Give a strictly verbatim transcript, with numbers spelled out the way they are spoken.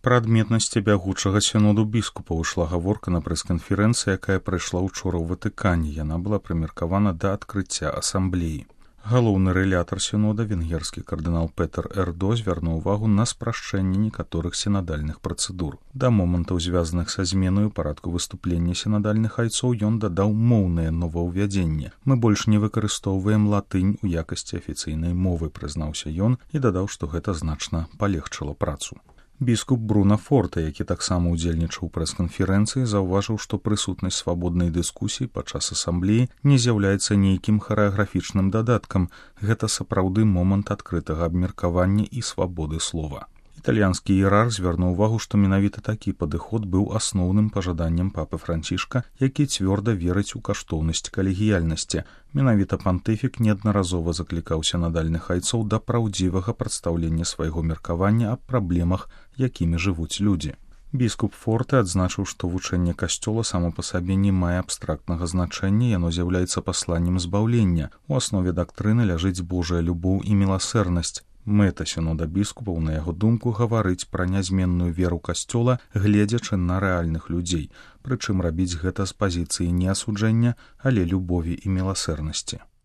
Пра адметнасці бягучага сіноду біскупаў ішла гаворка на прэс-канферэнцыі, якая прайшла ўчора ў Ватыкане. Яна была прымеркавана да адкрыцця асамблеі. Галоўны рэлятар сінода, венгерскі кардынал Петер Эрдо, звярнуў увагу на спрашчэнне некаторых сінадальных працэдур. Да момантаў, звязаных са зменаю парадку выступлення сінадальных айцоў, ён дадаў моўнае новаўвядзенне. Мы больш не выкарыстоўваем латынь у якасці афіцыйнай мовы, прызнаўся ён і дадаў, што гэта значна палегчыла працу. Біскуп Бруно Форте, які таксама ўдзельнічаў у прэс-канферэнцыі, заўважыў, што прысутнасць свабоднай дыскусіі падчас асамблеі не з'яўляецца нейкім харэаграфічным дадаткам. Гэта сапраўды момант адкрытага абмеркавання і свабоды слова. Італьянскі іерарх звярнуў увагу, што менавіта такі падыход быў асноўным пажаданнем папы Францішка, які цвёрда верыць у каштоўнасць калегіяльнасці. Менавіта пантыфік неаднаразова заклікаў сінадальных айцоў да праўдзівага прадстаўлення свайго меркавання аб праблемах, якімі жывуць людзі. Біскуп Форте адзначыў, што вучэнне касцёла само па сабе не мае абстрактнага значэння, яно з'яўляецца пасланнем збаўлення. У аснове дактрыны ляжыць Божая любоў і міласэрнасць. Мэта сінода біскупаў, на яго думку, гаварыць пра нязменную веру касцёла, гледзячы на рэальных людзей, прычым рабіць гэта з пазіцыі не асуджэння, але любові і міласэрнасці.